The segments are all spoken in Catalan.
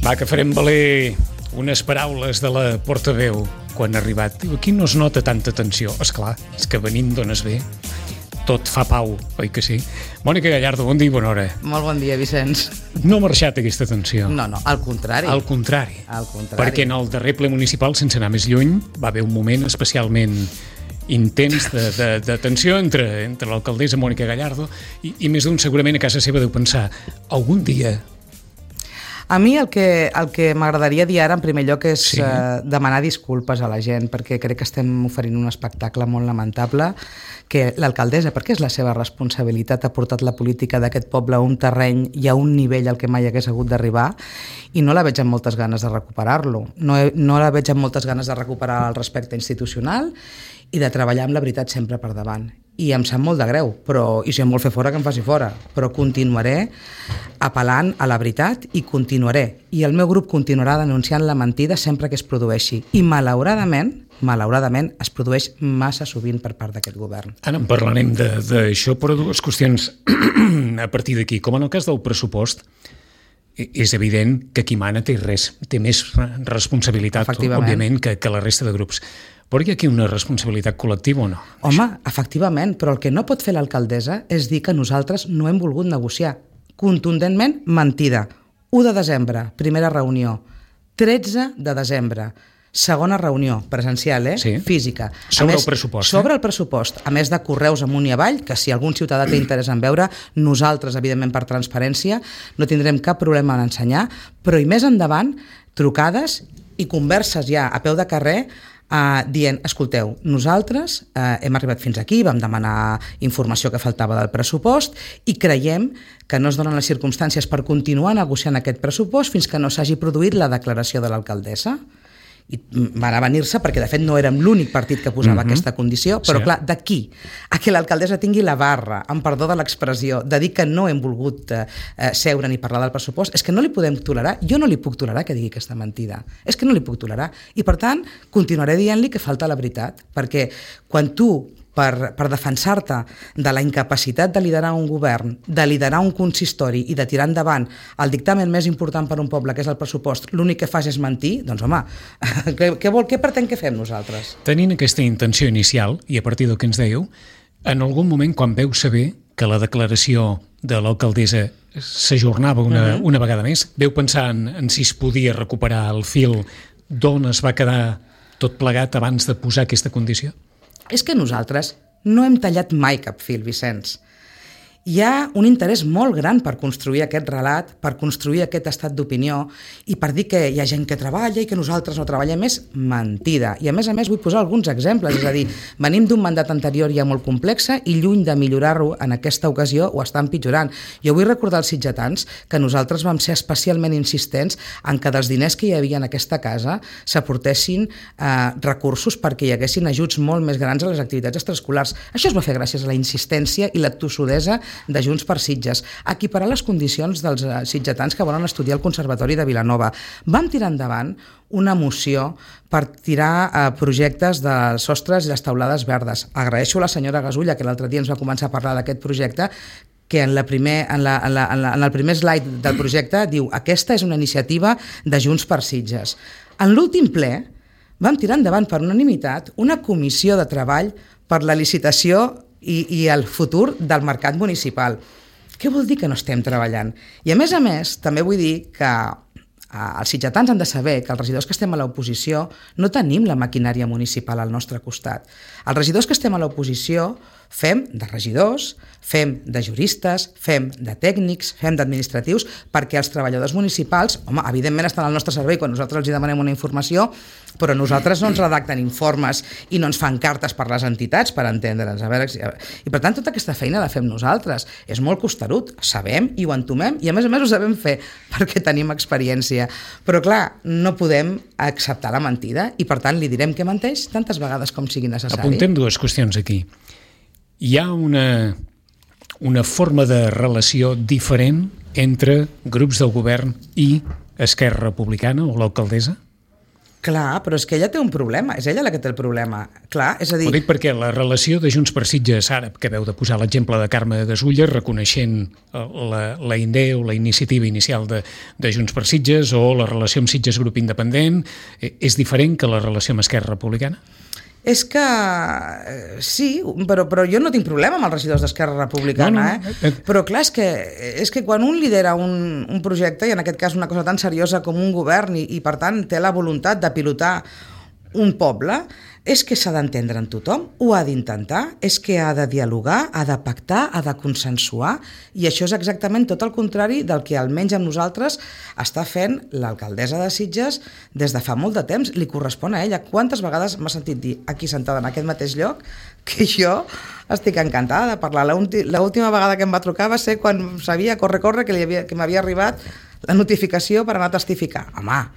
Va, que farem valer unes paraules de la portaveu quan ha arribat. Diu, aquí no es nota tanta tensió. Esclar, és que venint d'on es ve, tot fa pau, oi que sí? Mònica Gallardo, bon dia i bona hora. Molt bon dia, Vicenç. No ha marxat aquesta tensió. No, al contrari. Al contrari. Al contrari. Perquè en el darrer ple municipal, sense anar més lluny, va haver un moment especialment intens de tensió entre l'alcaldessa Mònica Gallardo i més d'un segurament a casa seva deu pensar algun dia. A mi el que m'agradaria dir ara en primer lloc és demanar disculpes a la gent, perquè crec que estem oferint un espectacle molt lamentable, que l'alcaldessa, perquè és la seva responsabilitat, ha portat la política d'aquest poble a un terreny i a un nivell al que mai hagués hagut d'arribar, i no la veig amb moltes ganes de recuperar-lo. No la veig amb moltes ganes de recuperar el respecte institucional i de treballar amb la veritat sempre per davant. I em sap molt de greu, i si em vol fer fora, que em faci fora, però continuaré apel·lant a la veritat i continuaré. I el meu grup continuarà denunciant la mentida sempre que es produeixi. I malauradament, es produeix massa sovint per part d'aquest govern. Ara en parlarem d'això, però dues qüestions a partir d'aquí. Com en el cas del pressupost, és evident que qui mana té més responsabilitat, òbviament, que la resta de grups. Però hi ha aquí una responsabilitat col·lectiva o no? Home, efectivament, però el que no pot fer l'alcaldessa és dir que nosaltres no hem volgut negociar. Contundentment, mentida. 1 de desembre, primera reunió. 13 de desembre, segona reunió, presencial, Sí. Física. Sobre el pressupost. Sobre el pressupost, a més de correus amunt i avall, que si algun ciutadà té interès en veure, nosaltres, evidentment, per transparència, no tindrem cap problema en ensenyar, però i més endavant, trucades i converses ja a peu de carrer, dient, escolteu, nosaltres hem arribat fins aquí, vam demanar informació que faltava del pressupost i creiem que no es donen les circumstàncies per continuar negociant aquest pressupost fins que no s'hagi produït la declaració de l'alcaldessa. I van avenir-se perquè de fet no érem l'únic partit que posava aquesta condició, però clar, d'aquí a que l'alcaldessa tingui la barra, amb perdó de l'expressió, de dir que no hem volgut seure ni parlar del pressupost, és que no li podem tolerar, jo no li puc tolerar que digui aquesta mentida, és que no li puc tolerar, i per tant continuaré dient-li que falta la veritat, perquè quan tu per defensar-te de la incapacitat de liderar un govern, de liderar un consistori i de tirar endavant el dictamen més important per un poble, que és el pressupost, l'únic que fas és mentir, doncs home, què pretén que fem nosaltres? Tenint aquesta intenció inicial, i a partir del que ens dèieu, en algun moment quan veu saber que la declaració de l'alcaldessa s'ajornava una vegada més, veu pensar en si es podia recuperar el fil d'on es va quedar tot plegat abans de posar aquesta condició? És que nosaltres no hem tallat mai cap fil, Vicenç. Hi ha un interès molt gran per construir aquest relat, per construir aquest estat d'opinió i per dir que hi ha gent que treballa i que nosaltres no treballem. És mentida. I a més vull posar alguns exemples, és a dir, venim d'un mandat anterior ja molt complex i lluny de millorar-ho en aquesta ocasió ho està empitjorant. Jo vull recordar als sitgetans que nosaltres vam ser especialment insistents en que dels diners que hi havia en aquesta casa s'aportessin recursos perquè hi haguessin ajuts molt més grans a les activitats extraescolars. Això es va fer gràcies a la insistència i la tossudesa de Junts per Sitges, equiparar les condicions dels sitgetans que volen estudiar al Conservatori de Vilanova. Vam tirar endavant una moció per tirar projectes de sostres i les taulades verdes. Agraeixo a la senyora Gasulla, que l'altre dia ens va començar a parlar d'aquest projecte, que en el primer slide del projecte diu aquesta és una iniciativa de Junts per Sitges. En l'últim ple vam tirar endavant per unanimitat una comissió de treball per la licitació i el futur del mercat municipal. Què vol dir que no estem treballant? I a més, també vull dir que els sitgetans han de saber que els regidors que estem a l'oposició no tenim la maquinària municipal al nostre costat. Els regidors que estem a l'oposició fem de regidors, fem de juristes, fem de tècnics, fem d'administratius, perquè els treballadors municipals, evidentment estan al nostre servei quan nosaltres els demanem una informació, però nosaltres no ens redacten informes i no ens fan cartes per les entitats per entendre'ns. I per tant, tota aquesta feina la fem nosaltres. És molt costerut, sabem i ho entomem, i a més ho sabem fer perquè tenim experiència. Però clar, no podem acceptar la mentida i per tant li direm que menteix tantes vegades com sigui necessari. Apuntem dues qüestions aquí. Hi ha una forma de relació diferent entre grups del govern i Esquerra Republicana o l'alcaldessa? Clar, però és que ella té un problema, és ella la que té el problema. Clar, és a dir... Ho dic perquè la relació de Junts per Sitges, ara que veu de posar l'exemple de Carme Gasulla, reconeixent la idea o la iniciativa inicial de Junts per Sitges o la relació amb Sitges Grup Independent, és diferent que la relació amb Esquerra Republicana? És que sí, però jo no tinc problema amb els regidors d'Esquerra Republicana, però clar, és que quan un lidera un projecte, i en aquest cas una cosa tan seriosa com un govern, i per tant té la voluntat de pilotar un poble, és que s'ha d'entendre en tothom, ho ha d'intentar, és que ha de dialogar, ha de pactar, ha de consensuar, i això és exactament tot el contrari del que almenys amb nosaltres està fent l'alcaldessa de Sitges des de fa molt de temps. Li correspon a ella. Quantes vegades m'ha sentit dir aquí sentada en aquest mateix lloc que jo estic encantada de parlar. L'última vegada que em va trucar va ser quan sabia, corre, que m'havia arribat la notificació per anar a testificar. Home,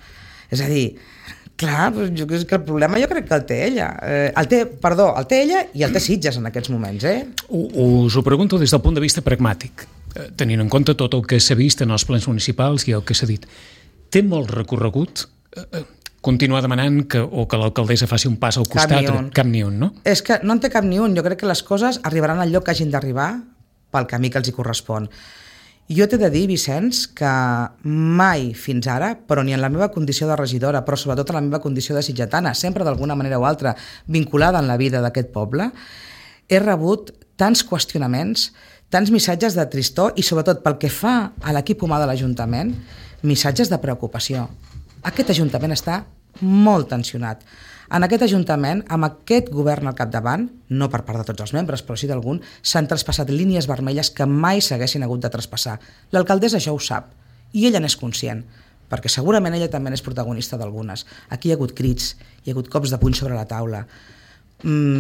és a dir... Clar, és que el problema jo crec que el té ella. El té ella i el té Sitges en aquests moments. Us ho pregunto des del punt de vista pragmàtic, tenint en compte tot el que s'ha vist en els plens municipals i el que s'ha dit. Té molt recorregut continuar demanant que l'alcaldessa faci un pas al costat? Cap ni un, no? És que no en té cap ni un. Jo crec que les coses arribaran al lloc que hagin d'arribar pel camí que els hi correspon. Jo t'he de dir, Vicenç, que mai fins ara, però ni en la meva condició de regidora, però sobretot en la meva condició de sitgetana, sempre d'alguna manera o altra vinculada en la vida d'aquest poble, he rebut tants qüestionaments, tants missatges de tristor i sobretot pel que fa a l'equip humà de l'Ajuntament, missatges de preocupació. Aquest Ajuntament està molt tensionat. En aquest Ajuntament, amb aquest govern al capdavant, no per part de tots els membres, però sí d'algun, s'han traspassat línies vermelles que mai s'haguessin hagut de traspassar. L'alcaldessa això ho sap, i ella n'és conscient, perquè segurament ella també n'és protagonista d'algunes. Aquí hi ha hagut crits, hi ha hagut cops de puny sobre la taula.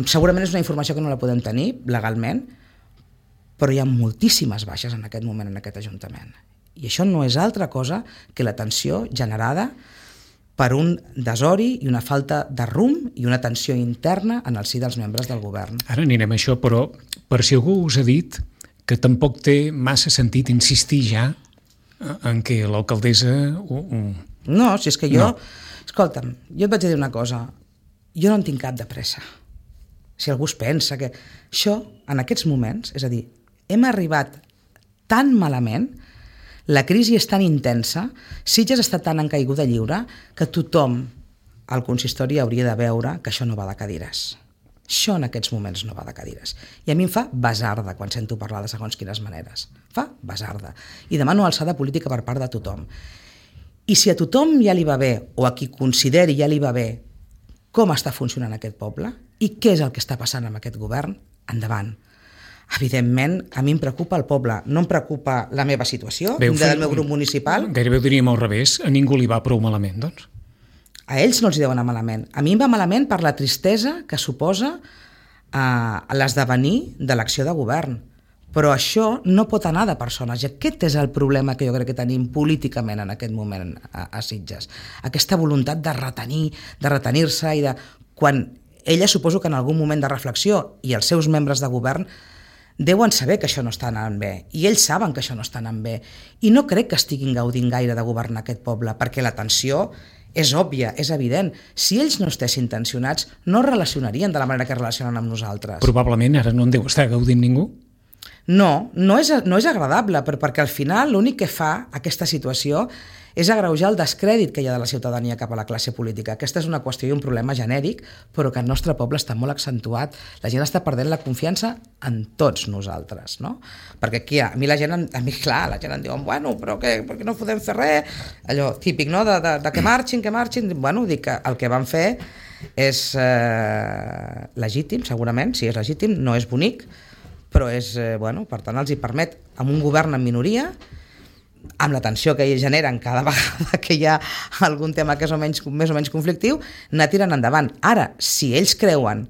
Segurament és una informació que no la podem tenir legalment, però hi ha moltíssimes baixes en aquest moment en aquest Ajuntament. I això no és altra cosa que la tensió generada per un desori i una falta de rumb i una tensió interna en el si dels membres del govern. Ara anirem a això, però per si algú us ha dit que tampoc té massa sentit insistir ja en què l'alcaldessa... No, si és que jo... No. Escolta'm, jo et vaig dir una cosa. Jo no en tinc cap de pressa. Si algú es pensa que... Això, en aquests moments, és a dir, hem arribat tan malament... La crisi és tan intensa, Sitges està tan en caiguda lliure, que tothom al consistori hauria de veure que això no va de cadires. Això en aquests moments no va de cadires. I a mi em fa basarda quan sento parlar de segons quines maneres. Fa basarda. I demano alçada política per part de tothom. I si a tothom ja li va bé, o a qui consideri ja li va bé, com està funcionant aquest poble i què és el que està passant amb aquest govern, endavant. Evidentment, a mi em preocupa el poble, no em preocupa la meva situació, del meu grup municipal. Gairebé ho diríem al revés, a ningú li va prou malament, doncs. A ells no els hi deu anar malament. A mi em va malament per la tristesa que suposa l'esdevenir de l'acció de govern. Però això no pot anar de persones, i aquest és el problema que jo crec que tenim políticament en aquest moment a Sitges. Aquesta voluntat de retenir-se i de... Quan ella suposo que en algun moment de reflexió i els seus membres de govern deuen saber que això no està anant bé, i ells saben que això no està anant bé, i no crec que estiguin gaudint gaire de governar aquest poble, perquè la tensió és òbvia, és evident. Si ells no estessin tensionats, no es relacionarien de la manera que es relacionen amb nosaltres. Probablement ara no en deu estar gaudint ningú? No és agradable, però perquè al final l'únic que fa aquesta situació és agreujar el descrèdit que hi ha de la ciutadania cap a la classe política. Aquesta és una qüestió i un problema genèric, però que el nostre poble està molt accentuat. La gent està perdent la confiança en tots nosaltres, no? Perquè aquí, a mi la gent em diu, bueno, però per què no podem fer res? Allò típic, no?, de que marxin. Bueno, dic que el que van fer és legítim, segurament, sí, és legítim, no és bonic, però és, per tant, els hi permet, amb un govern en minoria, amb la tensió que ells generen cada vegada que hi ha algun tema que és més o menys conflictiu, anar tirant endavant. Ara, si ells creuen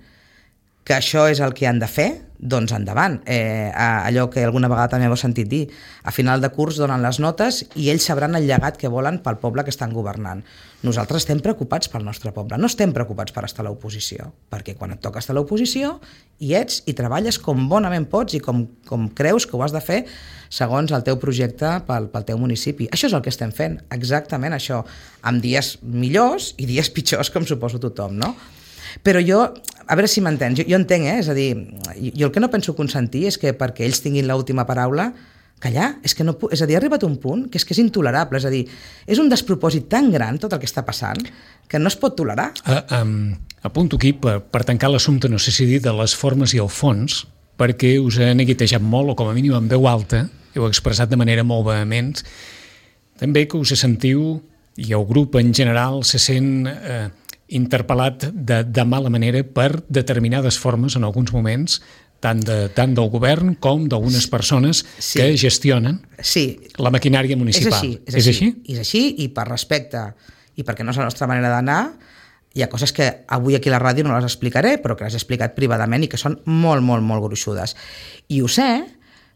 que això és el que han de fer, doncs endavant. Allò que alguna vegada també heu sentit dir, a final de curs donen les notes i ells sabran el llegat que volen pel poble que estan governant. Nosaltres estem preocupats pel nostre poble, no estem preocupats per estar a l'oposició, perquè quan et toca estar a l'oposició hi ets i treballes com bonament pots i com creus que ho has de fer segons el teu projecte pel teu municipi. Això és el que estem fent, exactament això, amb dies millors i dies pitjors, com suposo tothom, no? Però jo, a veure si m'entens, jo entenc, és a dir, jo el que no penso consentir és que perquè ells tinguin l'última paraula, callar, és a dir, ha arribat un punt que és intolerable, és a dir, és un despropòsit tan gran tot el que està passant que no es pot tolerar. Apunto aquí, per tancar l'assumpte, no sé si dir, de les formes i el fons, perquè us he neguitejat molt, o com a mínim en veu alta, heu expressat de manera molt vehement, també que us sentiu, i el grup en general se sent interpel·lat de mala manera per determinades formes en alguns moments, tant del govern com d'algunes persones que gestionen la maquinària municipal. És així? És així, i per respecte i perquè no és la nostra manera d'anar, hi ha coses que avui aquí a la ràdio no les explicaré, però que les he explicat privadament i que són molt, molt, molt gruixudes. I ho sé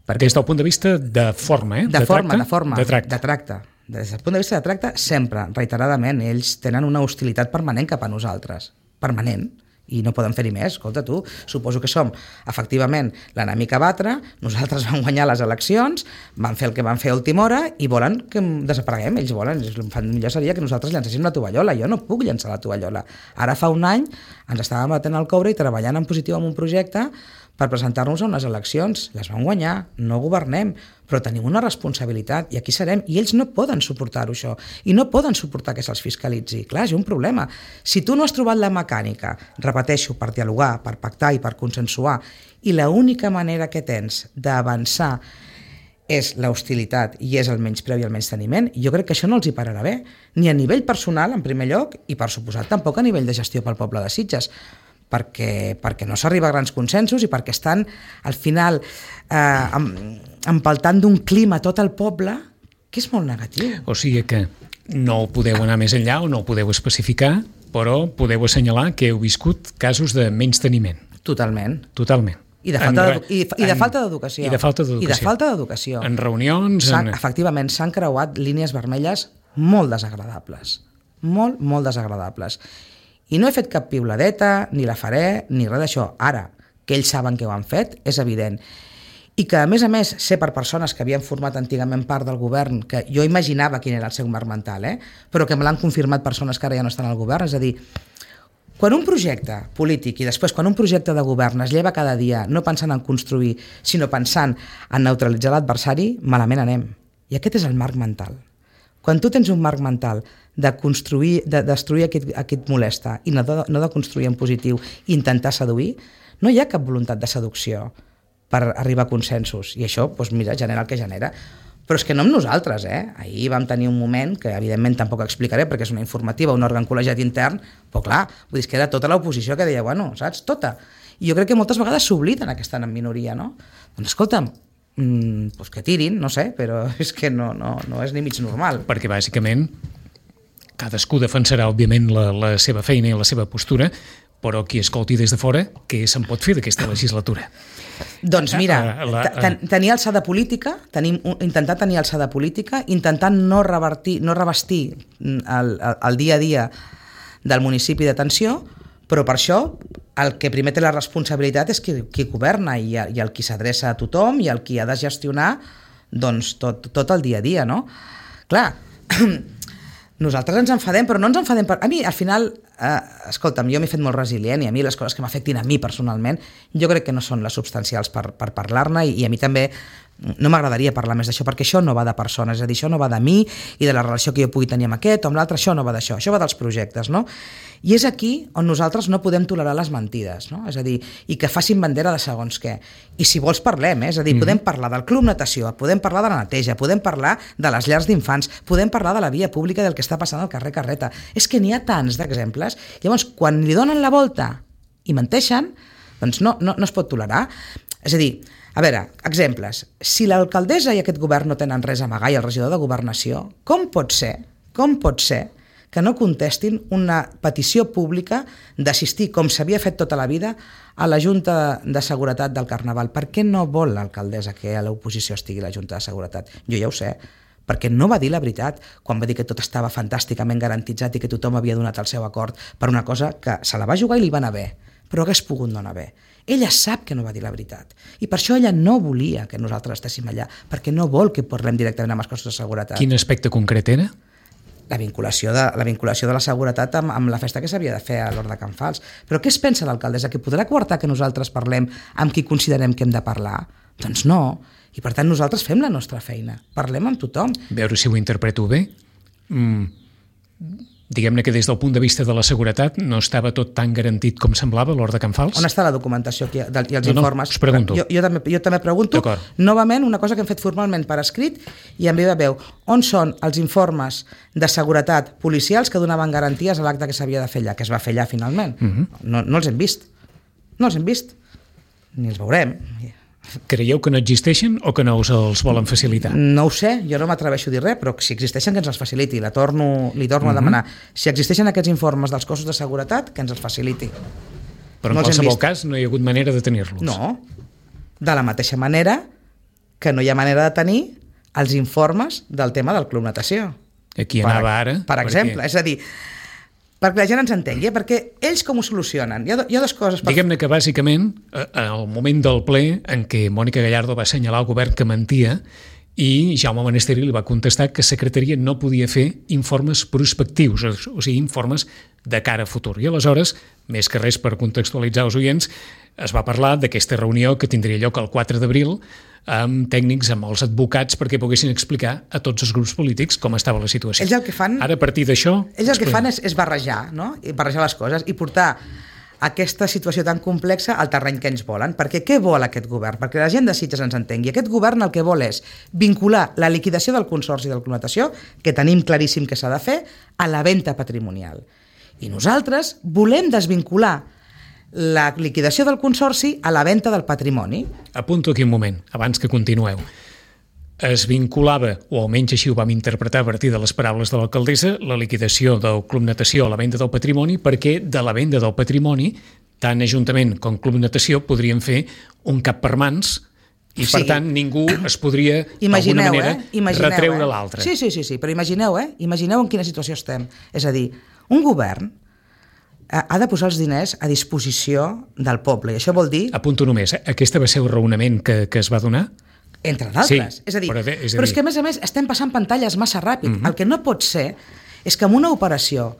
perquè... Des del punt de vista de forma, de tracte. Des del punt de vista de tracte, sempre, reiteradament, ells tenen una hostilitat permanent cap a nosaltres. Permanent. I no poden fer-hi més. Escolta, tu, suposo que som, efectivament, l'enemic a batre, nosaltres vam guanyar les eleccions, van fer el que van fer a última hora i volen que desapareguem. Ells volen, millor seria que nosaltres llancéssim la tovallola. Jo no puc llançar la tovallola. Ara fa un any ens estàvem batent el coure i treballant en positiu en un projecte per presentar-nos a unes eleccions. Les vam guanyar, no governem, però tenim una responsabilitat i aquí serem, i ells no poden suportar-ho això, i no poden suportar que se'ls fiscalitzi. Clar, és un problema. Si tu no has trobat la mecànica, repeteixo, per dialogar, per pactar i per consensuar, i l'única manera que tens d'avançar és l'hostilitat i és el menyspreu i el menysteniment, jo crec que això no els hi pararà bé, ni a nivell personal, en primer lloc, i per suposat tampoc a nivell de gestió pel poble de Sitges, perquè no s'arriba a grans consensos i perquè estan, al final, empaltant d'un clima tot el poble que és molt negatiu. O sigui que no podeu anar més enllà o no ho podeu especificar, però podeu assenyalar que heu viscut casos de menysteniment. Totalment. I de falta d'educació. I de falta d'educació. En reunions... Efectivament, s'han creuat línies vermelles molt desagradables. Molt, molt desagradables. I no he fet cap piuladeta, ni la faré, ni res d'això. Ara, que ells saben que ho han fet, és evident. I que, a més, sé per persones que havien format antigament part del govern, que jo imaginava quin era el seu marc mental, però que me l'han confirmat persones que ara ja no estan al govern. És a dir, quan un projecte polític i després quan un projecte de govern es lleva cada dia no pensant en construir, sinó pensant en neutralitzar l'adversari, malament anem. I aquest és el marc mental. Quan tu tens un marc mental de construir, de destruir a qui et molesta i no de construir en positiu i intentar seduir, no hi ha cap voluntat de seducció per arribar a consensos. I això, doncs mira, genera el que genera. Però és que no amb nosaltres, Ahir vam tenir un moment, que evidentment tampoc explicaré perquè és una informativa, un òrgan col·legiat intern, però clar, vull dir que era tota l'oposició que deia, bueno, saps, tota. I jo crec que moltes vegades s'obliden que estan en minoria, no? Doncs escolta'm, pues que tirin, no sé, però és que no és ni mig normal. Perquè bàsicament cadascú defensarà òbviament la seva feina i la seva postura, però qui escolti des de fora, què se'n pot fer d'aquesta legislatura? Doncs mira, tenir alçada política, intentar tenir alçada política, intentar no revestir el dia a dia del municipi d'atenció, però per això el que primer té la responsabilitat és qui governa i el qui s'adreça a tothom i el qui ha de gestionar doncs, tot el dia a dia, no? Clar, nosaltres ens enfadem, però no ens enfadem per... A mi, al final, escolta'm, jo m'he fet molt resilient i a mi les coses que m'afectin a mi personalment jo crec que no són les substancials per parlar-ne i a mi també no m'agradaria parlar més d'això perquè això no va de persones, és a dir, això no va de mi i de la relació que jo pugui tenir amb aquest o amb l'altre, això no va d'això, això va dels projectes, no? I és aquí on nosaltres no podem tolerar les mentides, no? És a dir, i que facin bandera de segons què. I si vols parlem, és a dir, podem parlar del club natació, podem parlar de la neteja, podem parlar de les llars d'infants, podem parlar de la via pública del que està passant al carrer Carreta. És que n'hi ha tants d'exemples. Llavors, quan li donen la volta i menteixen, doncs no es pot tolerar. És a dir, a veure, exemples. Si l'alcaldessa i aquest govern no tenen res a amagar i el regidor de governació, com pot ser que no contestin una petició pública d'assistir, com s'havia fet tota la vida, a la Junta de Seguretat del Carnaval. Per què no vol l'alcaldessa que a l'oposició estigui a la Junta de Seguretat? Jo ja ho sé, perquè no va dir la veritat quan va dir que tot estava fantàsticament garantitzat i que tothom havia donat el seu acord per una cosa que se la va jugar i li va anar bé, però hagués pogut no anar bé. Ella sap que no va dir la veritat i per això ella no volia que nosaltres estéssim allà, perquè no vol que parlem directament amb els cossos de seguretat. Quin aspecte concret era? La vinculació de la seguretat amb la festa que s'havia de fer a l'Hort de Can Fals. Però què es pensa l'alcaldessa? Que podrà coartar que nosaltres parlem amb qui considerem que hem de parlar? Doncs no. I per tant nosaltres fem la nostra feina. Parlem amb tothom. Veure si ho interpreto bé. Diguem-ne que des del punt de vista de la seguretat no estava tot tan garantit com semblava a l'Hort de Can Fals? On està la documentació i els informes? No, us pregunto. Jo també pregunto. Novament, una cosa que hem fet formalment per escrit i en viva veu. On són els informes de seguretat policials que donaven garanties a l'acte que s'havia de fer allà, que es va fer allà finalment? No els hem vist. No els hem vist. Ni els veurem. Creieu que no existeixen o que no us els volen facilitar? No ho sé, jo no m'atreveixo a dir res, però si existeixen que ens els faciliti. Li torno a demanar. Si existeixen aquests informes dels cossos de seguretat, que ens els faciliti. Però en qualsevol cas no hi ha hagut manera de tenir-los. No. De la mateixa manera que no hi ha manera de tenir els informes del tema del Club Natació. Aquí anava ara. Per exemple, és a dir, perquè la gent ens entengui, perquè ells com ho solucionen? Hi ha dues coses. Diguem-ne que bàsicament, al moment del ple en què Mònica Gallardo va assenyalar al govern que mentia i Jaume Manesteri li va contestar que Secretaria no podia fer informes prospectius, o sigui, informes de cara a futur. I aleshores, més que res per contextualitzar els oients, es va parlar d'aquesta reunió que tindria lloc el 4 d'abril amb tècnics, amb els advocats, perquè poguessin explicar a tots els grups polítics com estava la situació. Ells el que fan... Ara, a partir d'això... Ells el que fan és barrejar, no? I barrejar les coses i portar aquesta situació tan complexa al terreny que ens volen. Perquè què vol aquest govern? Perquè la gent de Sitges ens entengui. Aquest govern el que vol és vincular la liquidació del Consorci del Club Natació, que tenim claríssim que s'ha de fer, a la venda patrimonial. I nosaltres volem desvincular la liquidació del Consorci a la venda del patrimoni. Apunto aquí un moment, abans que continueu. Es vinculava, o almenys així ho vam interpretar a partir de les paraules de l'alcaldessa, la liquidació del Club Natació a la venda del patrimoni, perquè de la venda del patrimoni, tant Ajuntament com Club Natació podrien fer un cap per mans i, per tant, ningú es podria, d'alguna manera, retreure l'altre. Sí, però imagineu en quina situació estem. És a dir, un govern ha de posar els diners a disposició del poble, i això vol dir... Apunto només, aquesta va ser el raonament que es va donar? Entre d'altres. Sí, és a dir, però és que, a més, estem passant pantalles massa ràpid. El que no pot ser és que amb una operació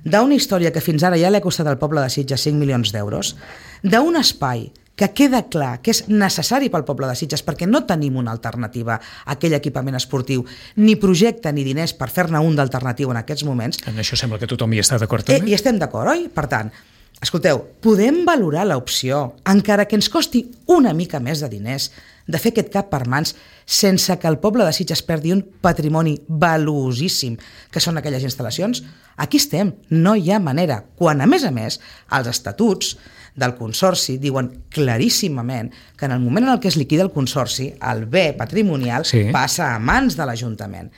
d'una història que fins ara ja l'ha costat al poble de Sitges 5 milions d'euros, d'un espai que queda clar que és necessari pel poble de Sitges perquè no tenim una alternativa a aquell equipament esportiu, ni projecte ni diners per fer-ne un d'alternatiu en aquests moments. En això sembla que tothom hi està d'acord també. I estem d'acord, oi? Per tant, escolteu, podem valorar l'opció, encara que ens costi una mica més de diners, de fer aquest cap per mans sense que el poble de Sitges perdi un patrimoni valuosíssim, que són aquelles instal·lacions. Aquí estem, no hi ha manera. Quan, a més, els estatuts del Consorci diuen claríssimament que en el moment en el que es liquida el Consorci, el bé patrimonial passa a mans de l'Ajuntament.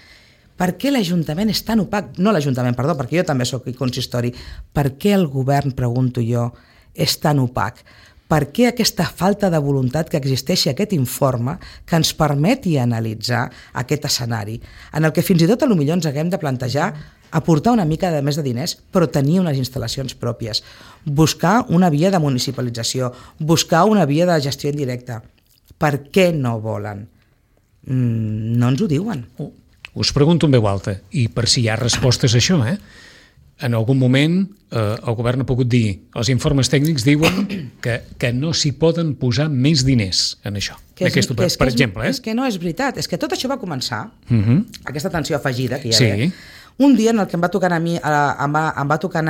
Per què l'Ajuntament és tan opac? No l'Ajuntament, perdó, perquè jo també soc consistori. Per què el govern, pregunto jo, és tan opac? Per què aquesta falta de voluntat que existeixi aquest informe que ens permeti analitzar aquest escenari, en el que fins i tot potser ens haguem de plantejar aportar una mica de més de diners, però tenir unes instal·lacions pròpies, buscar una via de municipalització, buscar una via de gestió indirecta. Per què no volen? No ens ho diuen. Us pregunto en veu alta, i per si hi ha respostes a això, en algun moment el govern ha pogut dir, els informes tècnics diuen que no s'hi poden posar més diners en això. Per exemple. És que no és veritat, és que tot això va començar, aquesta tensió afegida que hi ha d'haver, un dia en el que em va tocar anar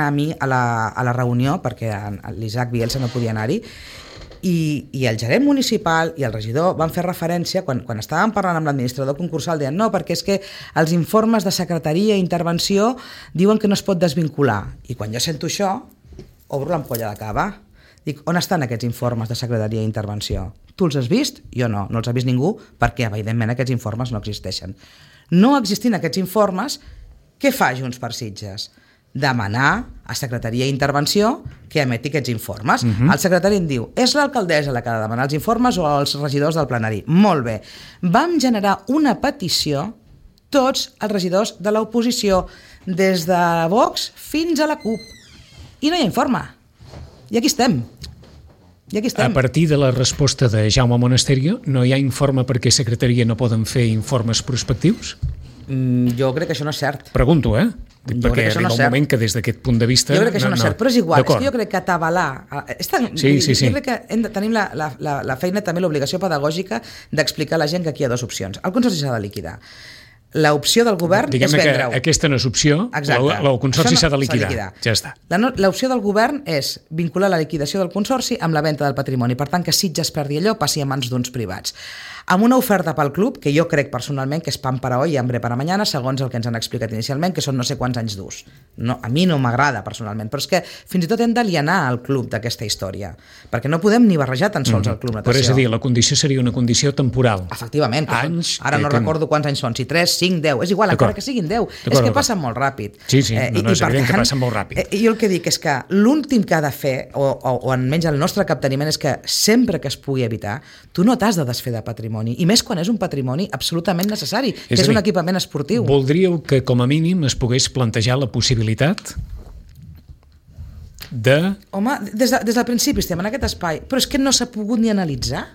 a mi a la reunió, perquè l'Isaac Bielsa no podia anar-hi, i el gerent municipal i el regidor van fer referència, quan estàvem parlant amb l'administrador concursal, deien no, perquè és que els informes de secretaria i intervenció diuen que no es pot desvincular. I quan jo sento això, obro l'ampolla de cava. Dic, on estan aquests informes de secretaria i intervenció? Tu els has vist? Jo no els ha vist ningú, perquè evidentment aquests informes no existeixen. No existint aquests informes, Què fa Junts per Sitges? Demanar a Secretaria d'Intervenció que emeti aquests informes. El secretari em diu, és l'alcaldessa la que ha de demanar els informes o els regidors del plenari. Molt bé. Vam generar una petició, tots els regidors de l'oposició, des de Vox fins a la CUP. I no hi ha informe. I aquí estem. A partir de la resposta de Jaume Monasterio, no hi ha informe perquè Secretaria no poden fer informes prospectius? Jo crec que això no és cert. Pregunto, perquè arriba un moment que des d'aquest punt de vista... Jo crec que això no és cert, però és igual. És que jo crec que atabalar... Sí. Jo crec que tenim la feina, també l'obligació pedagògica d'explicar a la gent que aquí hi ha dues opcions. El Consorci s'ha de liquidar. L'opció del govern és vendre-ho. Diguem-ne que aquesta no és opció, el Consorci s'ha de liquidar. Ja està. L'opció del govern és vincular la liquidació del Consorci amb la venda del patrimoni. Per tant, que Sitges perdi allò, passi a mans d'uns privats. Amb una oferta pel club, que jo crec personalment que és pan para hoy i hambre para mañana, segons el que ens han explicat inicialment, que són no sé quants anys d'ús. A mi no m'agrada personalment, però és que fins i tot hem d'alienar el club d'aquesta història, perquè no podem ni barrejar tan sols el club natació. Però és a dir, la condició seria una condició temporal. Efectivament. Ara no recordo quants anys són, si 3, 5, 10, és igual, encara que siguin 10. És que passen molt ràpid. Sí, és evident que passen molt ràpid. Jo el que dic és que l'últim que ha de fer, o almenys el nostre capteniment, és que sempre que es pugui evitar, tu no t'has de desfer de patrimoni, i més quan és un patrimoni absolutament necessari, que és un equipament esportiu. Voldríeu que com a mínim es pogués plantejar la possibilitat de... Home, des del principi estem en aquest espai, però és que no s'ha pogut ni analitzar.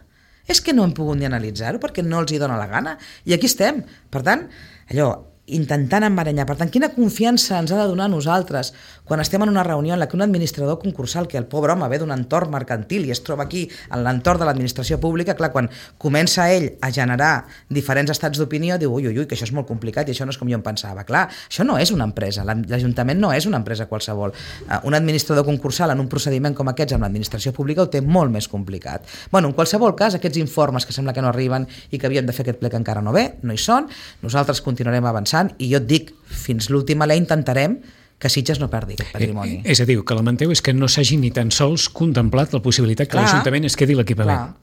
És que no hem pogut ni analitzar-ho perquè no els hi dona la gana. I aquí estem. Per tant, allò, intentant embaranyar. Per tant, quina confiança ens ha de donar a nosaltres quan estem en una reunió en la que un administrador concursal, que el pobre home ve d'un entorn mercantil i es troba aquí en l'entorn de l'administració pública, clar, quan comença ell a generar diferents estats d'opinió, diu, ui, que això és molt complicat i això no és com jo em pensava. Clar, això no és una empresa, l'Ajuntament no és una empresa qualsevol. Un administrador concursal en un procediment com aquests amb l'administració pública ho té molt més complicat. Bueno, en qualsevol cas, aquests informes que sembla que no arriben i que havíem de fer aquest ple que encara no ve, no hi són, nosaltres continuarem avançant i jo et dic, fins l'última l'he intentarem que Sitges no perdi aquest patrimoni. És a dir, que lamenteu és que no s'hagi ni tan sols contemplat la possibilitat que l'Ajuntament es quedi l'equipament.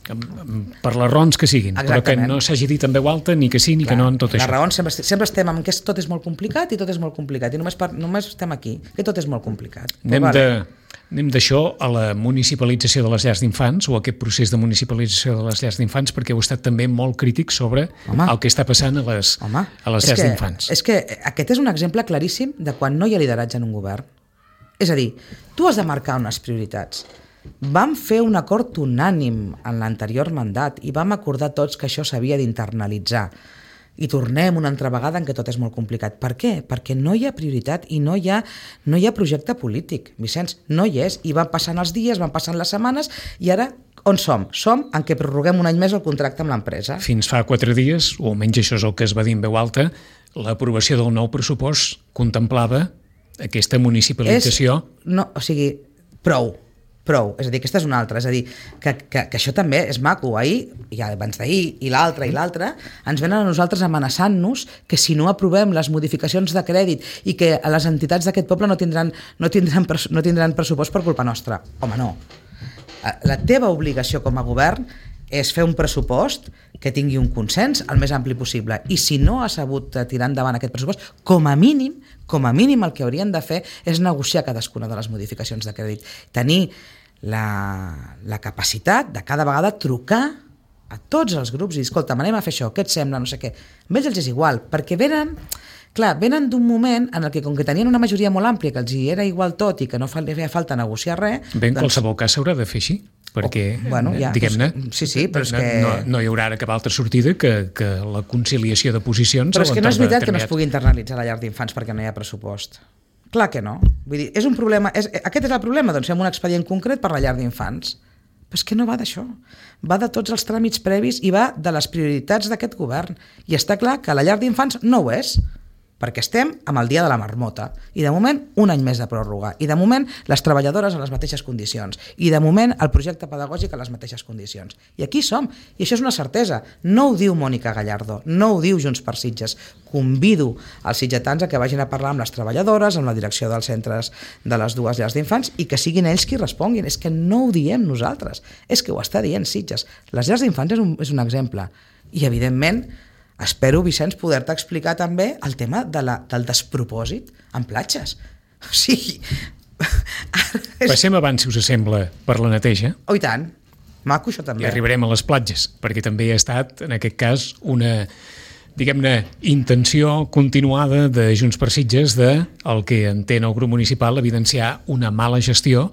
Per les raons que siguin. Exactament. Però que no s'hagi dit en veu alta ni que sí ni que no en tot això. Les raons sempre estem amb que tot és molt complicat i tot és molt complicat i només estem aquí, que tot és molt complicat. Anem d'això a la municipalització de les llars d'infants o a aquest procés de municipalització de les llars d'infants, perquè heu estat també molt crític sobre el que està passant a les llars d'infants. És que aquest és un exemple claríssim de quan no hi ha lideratge en un govern. És a dir, tu has de marcar unes prioritats. Vam fer un acord unànim en l'anterior mandat i vam acordar tots que això s'havia d'internalitzar. I tornem una altra vegada en què tot és molt complicat. Per què? Perquè no hi ha prioritat i no hi ha projecte polític, Vicenç, no hi és. I van passant els dies, van passant les setmanes i ara on som? Som en què prorroguem un any més el contracte amb l'empresa. Fins fa 4 dies, o almenys això és el que es va dir en veu alta, l'aprovació del nou pressupost contemplava aquesta municipalització. Prou, és a dir, aquesta és una altra, és a dir, que això també és maco. Ahir, i abans d'ahir, i l'altre, ens venen a nosaltres amenaçant-nos que si no aprovem les modificacions de crèdit i que les entitats d'aquest poble no tindran pressupost per culpa nostra. Home, no. La teva obligació com a govern és fer un pressupost que tingui un consens el més ampli possible. I si no has sabut tirar endavant aquest pressupost, com a mínim el que haurien de fer és negociar cadascuna de les modificacions de crèdit. Tenir la capacitat de cada vegada trucar a tots els grups i dir, escolta, anem a fer això, què et sembla, no sé què. A ells els és igual, perquè venen d'un moment en el que, com que tenien una majoria molt àmplia, que els hi era igual tot i que no feia falta negociar res... Bé, en qualsevol cas s'haurà de fer així, perquè, diguem-ne, però és que... no hi haurà cap altra sortida que la conciliació de posicions... Però és que no és veritat que no es pugui internalitzar la llar d'infants perquè no hi ha pressupost. Clar que no. Vull dir, és un problema... Aquest és el problema, doncs fem un expedient concret per la llar d'infants. Però és que no va d'això. Va de tots els tràmits previs i va de les prioritats d'aquest govern. I està clar que la llar d'infants no ho és, perquè estem amb el dia de la marmota i de moment un any més de pròrroga i de moment les treballadores a les mateixes condicions i de moment el projecte pedagògic a les mateixes condicions. I aquí som, i això és una certesa. No ho diu Mònica Gallardo, no ho diu Junts per Sitges. Convido els sitgetans a que vagin a parlar amb les treballadores, amb la direcció dels centres de les dues llars d'infants i que siguin ells qui responguin. És que no ho diem nosaltres, és que ho està dient Sitges. Les llars d'infants és un exemple i evidentment Espero, Vicenç, poder-te explicar també el tema del despropòsit en platges. O sigui... Passem abans, si us sembla, per la neteja. Oh, i tant. Maco, això també. I arribarem a les platges, perquè també ha estat, en aquest cas, una, diguem-ne, intenció continuada de Junts per Sitges de, el que entén el grup municipal, evidenciar una mala gestió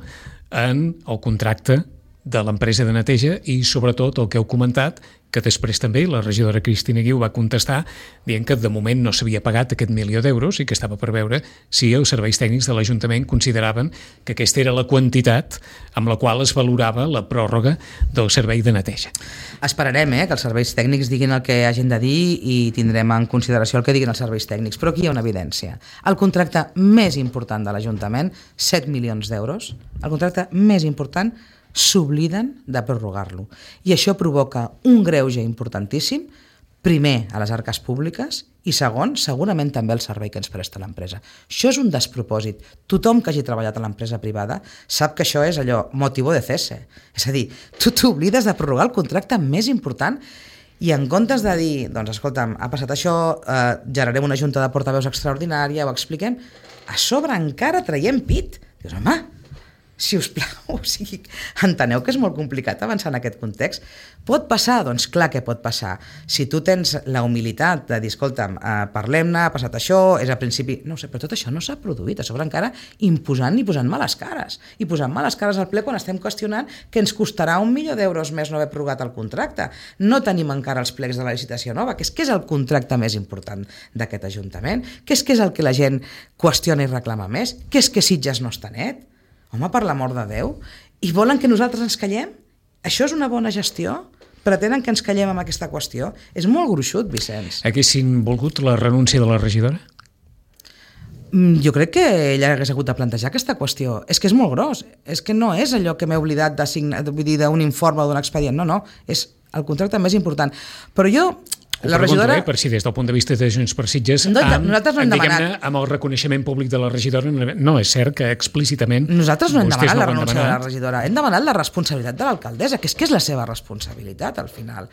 en el contracte de l'empresa de neteja i, sobretot, el que heu comentat, que després també la regidora Cristina Guiu va contestar dient que de moment no s'havia pagat aquest 1.000.000 d'euros i que estava per veure si els serveis tècnics de l'Ajuntament consideraven que aquesta era la quantitat amb la qual es valorava la pròrroga del servei de neteja. Esperarem que els serveis tècnics diguin el que hagin de dir i tindrem en consideració el que diguin els serveis tècnics, però aquí hi ha una evidència. El contracte més important de l'Ajuntament, 7 milions d'euros, el contracte més important, s'obliden de prorrogar-lo. I això provoca un greuge importantíssim, primer, a les arques públiques i segon, segurament també el servei que ens presta l'empresa. Això és un despropòsit. Tothom que hagi treballat a l'empresa privada sap que això és allò, motivo de cese. És a dir, tu t'oblides de prorrogar el contracte més important i en comptes de dir, doncs escolta'm, ha passat això, generarem una junta de portaveus extraordinària, ho expliquem, a sobre encara traiem pit. Dius, home, si us plau, o sigui, enteneu que és molt complicat avançar en aquest context. Pot passar? Doncs clar que pot passar. Si tu tens la humilitat de dir, escolta'm, parlem-ne, ha passat això, és al principi... No sé, però tot això no s'ha produït, a sobre encara imposant i posant males cares. I posant males cares al ple quan estem qüestionant que ens costarà 1.000.000 d'euros més no haver prorrogat el contracte. No tenim encara els plecs de la licitació nova, que és el contracte més important d'aquest Ajuntament, que és el que la gent qüestiona i reclama més, que és que Sitges no està net. Home, per l'amor de Déu, i volen que nosaltres ens callem? Això és una bona gestió? Pretenen que ens callem amb aquesta qüestió? És molt gruixut, Vicenç. Haguessin volgut la renúncia de la regidora? Jo crec que ella hagués hagut de plantejar aquesta qüestió. És que és molt gros. És que no és allò que m'he oblidat d'un informe o d'un expedient. No, és el contracte més important. Però jo... La regidora... per si des del punt de vista de Junts per Sitges, nosaltres no hem demanat. Amb el reconeixement públic de la regidora, no és cert que explícitament... Nosaltres no hem demanat la renúncia de la regidora, hem demanat la responsabilitat de l'alcaldessa, que és la seva responsabilitat, al final.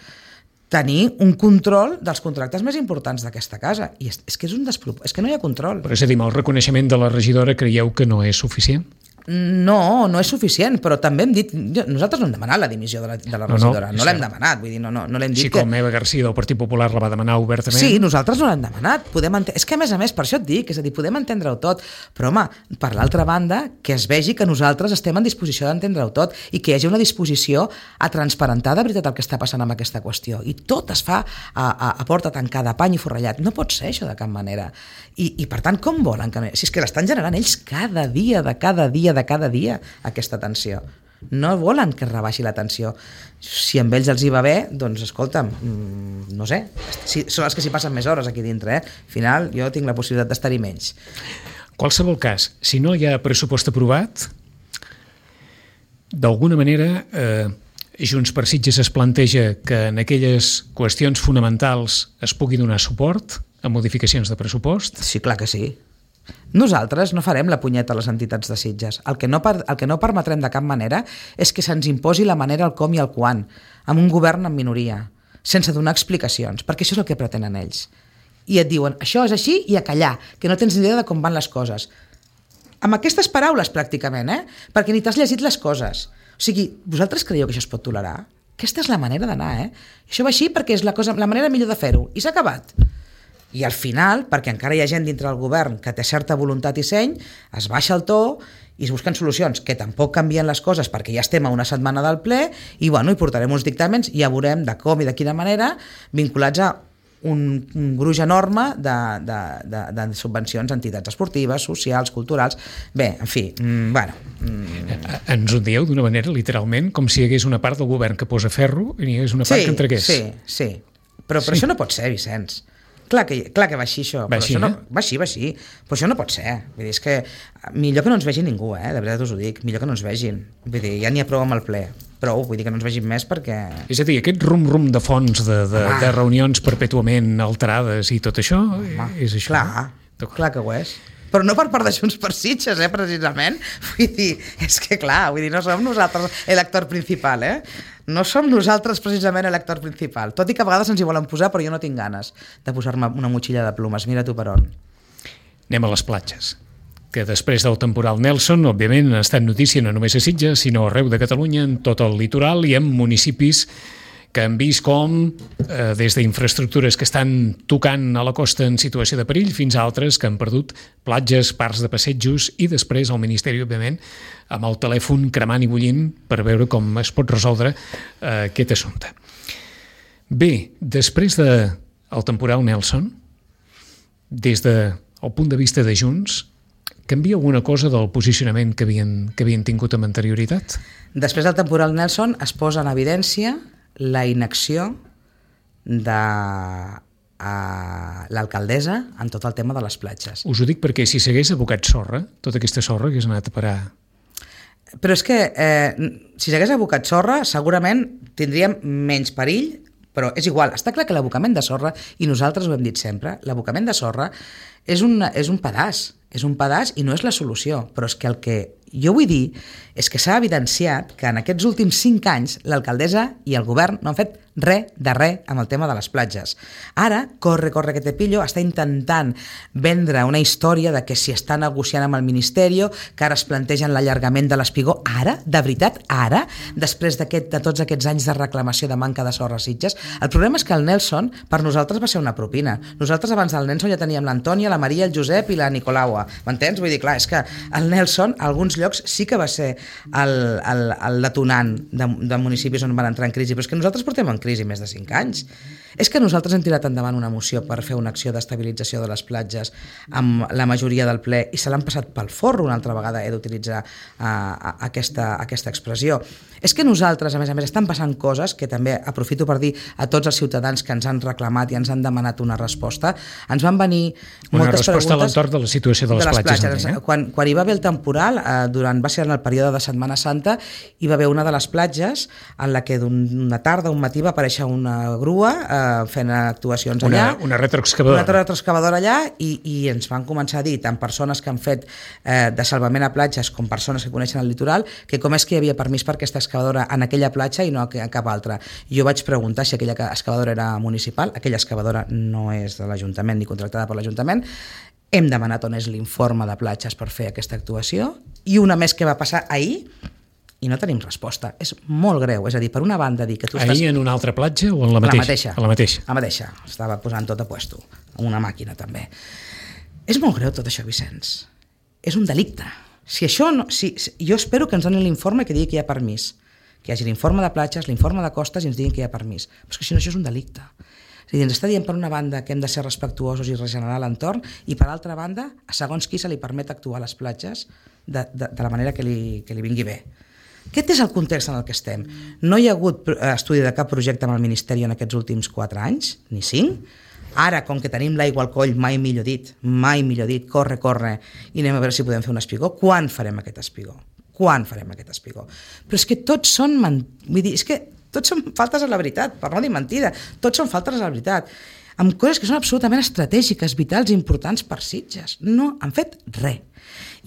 Tenir un control dels contractes més importants d'aquesta casa. I és que és un despropòsit, és que no hi ha control. Però és a dir, el reconeixement de la regidora creieu que no és suficient? No és suficient, però també hem dit... Nosaltres no hem demanat la dimissió de la regidora, no l'hem demanat, vull dir, no l'hem dit que... Així com Eva García del Partit Popular la va demanar obertament. Sí, nosaltres no l'hem demanat. És que, a més, per això et dic, és a dir, podem entendre-ho tot, però, home, per l'altra banda, que es vegi que nosaltres estem en disposició d'entendre-ho tot i que hi hagi una disposició a transparentar de veritat el que està passant amb aquesta qüestió. I tot es fa a porta tancada, pany i forrellat. No pot ser això de cap manera. I per tant, com volen que... Si és que l'estan generant ells cada dia, aquesta tensió. No volen que es rebaixi la tensió. Si amb ells els hi va bé, doncs escolta'm, no sé, són els que s'hi passen més hores aquí dintre, Al final jo tinc la possibilitat d'estar-hi menys. Qualsevol cas, si no hi ha pressupost aprovat, d'alguna manera Junts per Sitges es planteja que en aquelles qüestions fonamentals es pugui donar suport a modificacions de pressupost? Sí, clar que sí. Nosaltres no farem la punyeta a les entitats de Sitges. El que no permetrem de cap manera és que se'ns imposi la manera, el com i el quan, amb un govern en minoria, sense donar explicacions, perquè això és el que pretenen ells. I et diuen, això és així i a callar, que no tens ni idea de com van les coses. Amb aquestes paraules, pràcticament, perquè ni t'has llegit les coses. O sigui, vosaltres creieu que això es pot tolerar? Aquesta és la manera d'anar, Això va així perquè és la manera millor de fer-ho. I s'ha acabat. I al final, perquè encara hi ha gent dintre del govern que té certa voluntat i seny, es baixa el to i es busquen solucions que tampoc canvien les coses perquè ja estem a una setmana del ple i hi portarem uns dictàmens i ja veurem de com i de quina manera vinculats a un gruix enorme de subvencions a entitats esportives, socials, culturals. Bé, en fi, Ens ho dieu d'una manera literalment com si hi hagués una part del govern que posa ferro i hi hagués una part que entregués. Sí. Però això no pot ser, Vicenç. Clar que va així això, va així, va així, però això no pot ser. Vull dir, és que millor que no ens vegi ningú, de veritat us ho dic, millor que no ens vegin. Vull dir, ja n'hi ha prou amb el ple, prou, vull dir que no ens vegin més perquè... És a dir, aquest rum-rum de fons de reunions perpètuament alterades i tot això, és això? Clar que ho és. però no per part de Junts per Sitges, precisament. Vull dir, és que clar, no som nosaltres l'elector principal, No som nosaltres precisament l'elector principal, tot i que a vegades ens hi volen posar, però jo no tinc ganes de posar-me una motxilla de plomes, mira tu per on. Anem a les platges, que després del temporal Nelson, òbviament, han estat notícia no només a Sitges, sinó arreu de Catalunya, en tot el litoral i en municipis que han vist com, des d'infraestructures que estan tocant a la costa en situació de perill, fins a altres que han perdut platges, parcs de passejos, i després el Ministeri, òbviament, amb el telèfon cremant i bullint per veure com es pot resoldre aquest assumpte. Bé, després del temporal Nelson, des del punt de vista de Junts, canvia alguna cosa del posicionament que havien tingut amb anterioritat? Després del temporal Nelson es posa en evidència la inacció de l'alcaldessa en tot el tema de les platges. Us ho dic perquè si s'hagués abocat sorra, tota aquesta sorra hagués anat a parar. Però és que si s'hagués abocat sorra segurament tindríem menys perill, però és igual, està clar que l'abocament de sorra, i nosaltres ho hem dit sempre, l'abocament de sorra és un pedaç i no és la solució, però és que el que jo vull dir és que s'ha evidenciat que en aquests últims 5 anys l'alcaldessa i el govern no han fet res amb el tema de les platges. Ara, corre que te pillo, està intentant vendre una història de que si està negociant amb el Ministeri, que ara es plantegen l'allargament de l'espigó. Ara, de veritat, ara, després de tots aquests anys de reclamació de manca de sorra a Sitges, el problema és que el Nelson per nosaltres va ser una propina. Nosaltres abans del Nelson ja teníem l'Antònia, la Maria, el Josep i la Nicolaua. M'entens? Vull dir, clar, és que el Nelson, a alguns llocs sí que va ser el detonant de municipis on van entrar en crisi, però és que nosaltres portem en crisi més de 5 anys. És que nosaltres hem tirat endavant una moció per fer una acció d'estabilització de les platges amb la majoria del ple i se l'han passat pel forro una altra vegada, he d'utilitzar aquesta expressió. És que nosaltres, a més, estan passant coses que també aprofito per dir a tots els ciutadans que ens han reclamat i ens han demanat una resposta. Ens van venir moltes preguntes... Una resposta a l'entorn de la situació de les platges. Quan hi va haver el temporal, va ser en el període de Setmana Santa, hi va haver una de les platges en la que d'una tarda, un matí, va aparèixer una grua fent actuacions allà. Una retroexcavadora. Una retroexcavadora allà i ens van començar a dir, tant persones que han fet de salvament a platges com persones que coneixen el litoral, que com és que hi havia permís per aquesta excavadora en aquella platja i no a cap altra. Jo vaig preguntar si aquella excavadora era municipal. Aquella excavadora no és de l'Ajuntament ni contractada per l'Ajuntament. Hem demanat on és l'informe de platges per fer aquesta actuació i una més que va passar ahir i no tenim resposta. És molt greu. És a dir, per una banda dir que tu estàs... Ahir en una altra platja o en la mateixa? A la mateixa. Estava posant tot a puesto. Amb una màquina, també. És molt greu tot això, Vicenç. És un delicte. Jo espero que ens donin l'informe que digui que hi ha permís. Que hi hagi l'informe de platges, l'informe de costes i ens diguin que hi ha permís. Però és que si no, això és un delicte. És a dir, ens està dient per una banda que hem de ser respectuosos i regenerar l'entorn i per altra banda, a segons qui se li permet actuar a les platges de la manera que li vingui bé. Aquest és el context en el que estem. No hi ha hagut estudi de cap projecte amb el Ministeri en aquests últims 4 anys, ni 5. Ara, com que tenim l'aigua al coll, mai millor dit, corre, i anem a veure si podem fer un espigó. Quan farem aquest espigó? Però és que tots són... Vull dir, és que tots són faltes a la veritat, per no dir mentida. Tots són faltes a la veritat. Amb coses que són absolutament estratègiques, vitals i importants per Sitges. No han fet res.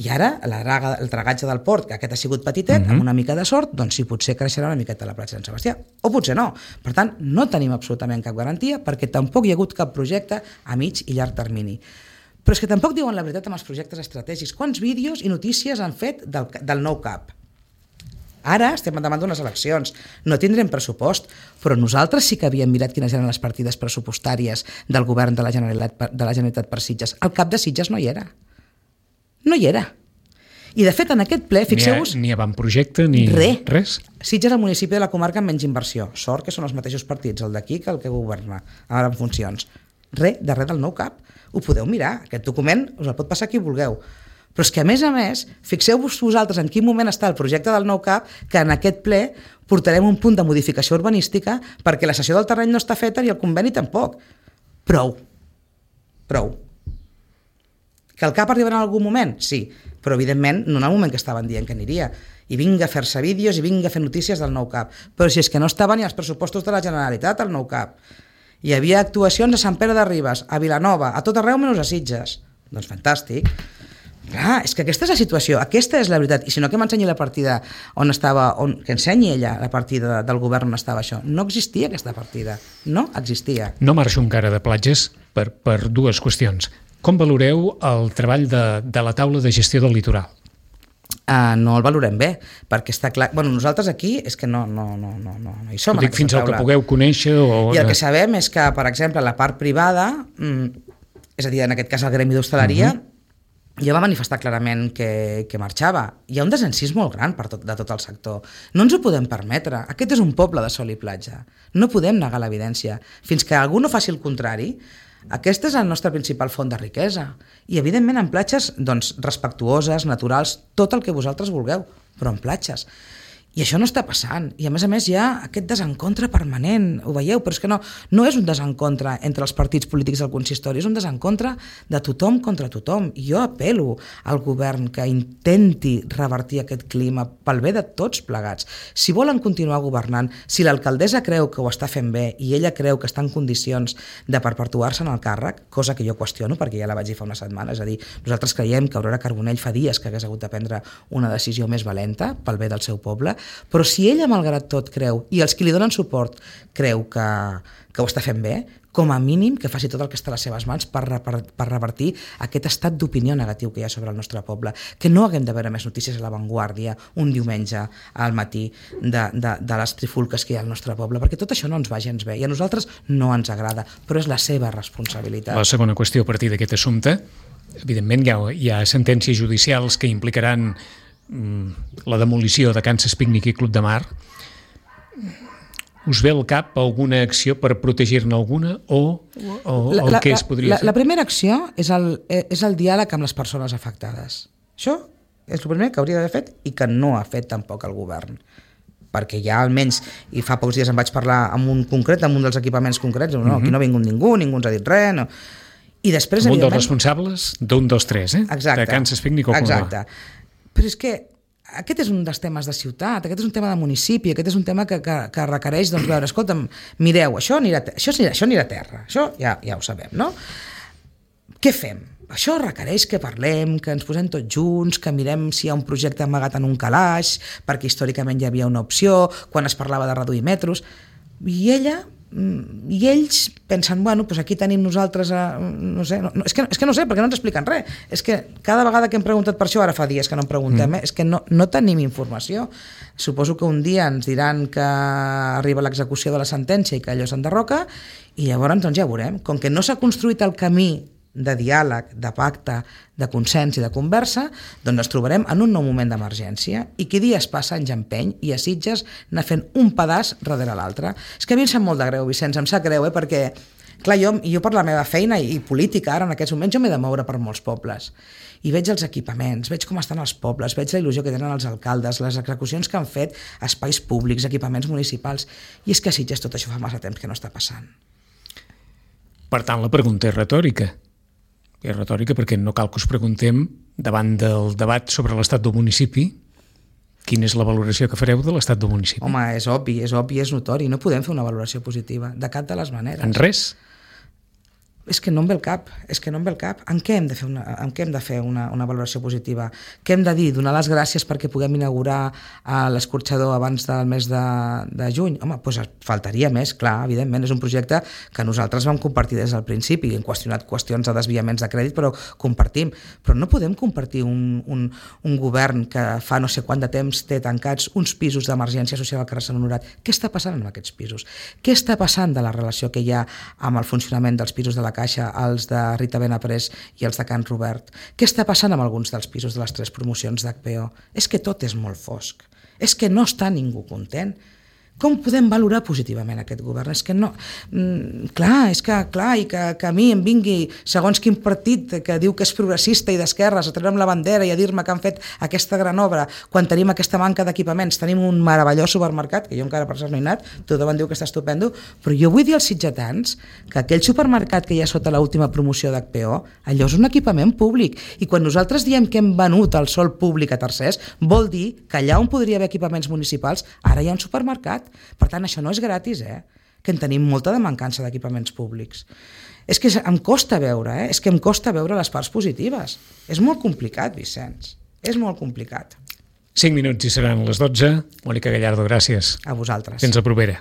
I ara el dragatge del port, que aquest ha sigut petitet, amb una mica de sort, doncs sí, potser creixerà una miqueta la platja de Sant Sebastià, o potser no. Per tant, no tenim absolutament cap garantia perquè tampoc hi ha hagut cap projecte a mig i llarg termini. Però és que tampoc diuen la veritat amb els projectes estratègics. Quants vídeos i notícies han fet del nou CAP? Ara estem davant d'unes eleccions, no tindrem pressupost, però nosaltres sí que havíem mirat quines eren les partides pressupostàries del govern de la Generalitat per Sitges. El CAP de Sitges no hi era. No hi era. I, de fet, en aquest ple, fixeu-vos... Ni avantprojecte, ni res. Sitges és el municipi de la comarca amb menys inversió. Sort que són els mateixos partits, el d'aquí que el que governa, ara en funcions. Res del nou CAP. Ho podeu mirar. Aquest document us el pot passar qui vulgueu. Però és que, a més, fixeu-vos vosaltres en quin moment està el projecte del nou CAP, que en aquest ple portarem un punt de modificació urbanística perquè la cessió del terreny no està feta i el conveni tampoc. Prou. Que el CAP arribarà en algun moment? Sí, però evidentment no en el moment que estaven dient que aniria. I vinga a fer-se vídeos i vinga a fer notícies del nou CAP. Però si és que no estava ni als pressupostos de la Generalitat el nou CAP. Hi havia actuacions a Sant Pere de Ribes, a Vilanova, a tot arreu menys a Sitges. Doncs fantàstic. Clar, és que aquesta és la situació, aquesta és la veritat. I si no, que m'ensenyi la partida on estava, que ensenyi ella la partida del govern on estava això. No existia aquesta partida, no existia. No marxo encara de platges per dues qüestions. Com valoreu el treball de la taula de gestió del litoral? No el valorem bé, perquè està clar... Bueno, nosaltres aquí és que no hi som en aquesta taula. Fins al que pugueu conèixer o... I el que sabem és que, per exemple, la part privada, és a dir, en aquest cas el gremi d'hostaleria, ja va manifestar clarament que marxava. Hi ha un desencís molt gran de tot el sector. No ens ho podem permetre. Aquest és un poble de sol i platja. No podem negar l'evidència. Fins que algú no faci el contrari, aquesta és la nostra principal font de riquesa. I, evidentment, en platges doncs, respectuoses, naturals, tot el que vosaltres vulgueu, però en platges. I això no està passant. I, a més, hi ha aquest desencontre permanent. Ho veieu? Però és que no és un desencontre entre els partits polítics del consistori, és un desencontre de tothom contra tothom. I jo apel·lo al govern que intenti revertir aquest clima pel bé de tots plegats. Si volen continuar governant, si l'alcaldessa creu que ho està fent bé i ella creu que està en condicions de perpetuar-se en el càrrec, cosa que jo qüestiono perquè ja la vaig dir fa una setmana, és a dir, nosaltres creiem que Aurora Carbonell fa dies que hagués hagut de prendre una decisió més valenta pel bé del seu poble, però si ella, malgrat tot, creu, i els que li donen suport creu que ho està fent bé, com a mínim que faci tot el que està a les seves mans per revertir aquest estat d'opinió negatiu que hi ha sobre el nostre poble, que no haguem de veure més notícies a La Vanguardia un diumenge al matí de les trifulques que hi ha al nostre poble, perquè tot això no ens va gens bé i a nosaltres no ens agrada, però és la seva responsabilitat. La segona qüestió a partir d'aquest assumpte, evidentment hi ha sentències judicials que implicaran la demolició de Kansas Picnic i Club de Mar. Us ve al cap alguna acció per protegir-ne alguna o el que es podria fer? La primera acció és el diàleg amb les persones afectades. Això és el primer que hauria d'haver fet i que no ha fet tampoc el govern. Perquè ja almenys, i fa pocs dies em vaig parlar amb un dels equipaments concrets, no, aquí no ha vingut ningú ens ha dit res, no. I després, un dels responsables d'un dels tres, exacte, de Kansas Picnic o Club de Mar. Exacte. Però és que aquest és un dels temes de ciutat, aquest és un tema de municipi, aquest és un tema que requereix, doncs, veure, escolta'm, mireu, això anirà a terra, això ja ho sabem, no? Què fem? Això requereix que parlem, que ens posem tots junts, que mirem si hi ha un projecte amagat en un calaix, perquè històricament hi havia una opció, quan es parlava de reduir metros, i ells pensen, bueno, doncs aquí tenim nosaltres, no sé, és que no sé, perquè no ens expliquen res. És que cada vegada que hem preguntat per això, ara fa dies que no en preguntem, és que no tenim informació. Suposo que un dia ens diran que arriba l'execució de la sentència i que allò s'enderroca, i llavors doncs ja veurem. Com que no s'ha construït el camí de diàleg, de pacte, de consens i de conversa, doncs ens trobarem en un nou moment d'emergència i qui dies passa anys empeny i a Sitges anar fent un pedaç darrere l'altre. És que a mi em sap molt de greu, Vicenç, em sap greu, perquè clar, jo per la meva feina i política ara en aquests moments jo m'he de moure per molts pobles i veig els equipaments, veig com estan els pobles, veig la il·lusió que tenen els alcaldes, les execucions que han fet, espais públics, equipaments municipals, i és que a Sitges tot això fa massa temps que no està passant. Per tant, la pregunta és retòrica. És retòrica perquè no cal que us preguntem, davant del debat sobre l'estat del municipi, quina és la valoració que fareu de l'estat del municipi? Home, és obvi, és notori. No podem fer una valoració positiva, de cap de les maneres. En res? És que no em ve el cap. En què hem de fer una valoració positiva? Què hem de dir? Donar les gràcies perquè puguem inaugurar l'escorxador abans del mes de juny? Home, doncs faltaria més, clar, evidentment. És un projecte que nosaltres vam compartir des del principi. Hem qüestionat qüestions de desviaments de crèdit, però compartim. Però no podem compartir un govern que fa no sé quant de temps té tancats uns pisos d'emergència social al carrer Sant Honorat. Què està passant amb aquests pisos? Què està passant de la relació que hi ha amb el funcionament dels pisos de la Caixa, els de Rita Benaprés i els de Can Robert? Què està passant amb alguns dels pisos de les 3 promocions d'HPO? És que tot és molt fosc. És que no està ningú content. Com podem valorar positivament aquest govern? És que no... i que a mi em vingui segons quin partit que diu que és progressista i d'esquerres a treure'm la bandera i a dir-me que han fet aquesta gran obra quan tenim aquesta manca d'equipaments, tenim un meravellós supermercat, que jo encara per cert no he anat, tothom diu que està estupendo, però jo vull dir als sitgetans que aquell supermercat que hi ha sota l'última promoció d'HPO, allò és un equipament públic, i quan nosaltres diem que hem venut el sòl públic a tercers, vol dir que allà on podria haver equipaments municipals, ara hi ha un supermercat. Per tant, això no és gratis, que en tenim molta de mancança d'equipaments públics. És que em costa veure, és que em costa veure les parts positives. És molt complicat, Vicenç, és molt complicat. 5 minuts i seran les 12. Mònica Gallardo, gràcies. A vosaltres. Fins la propera.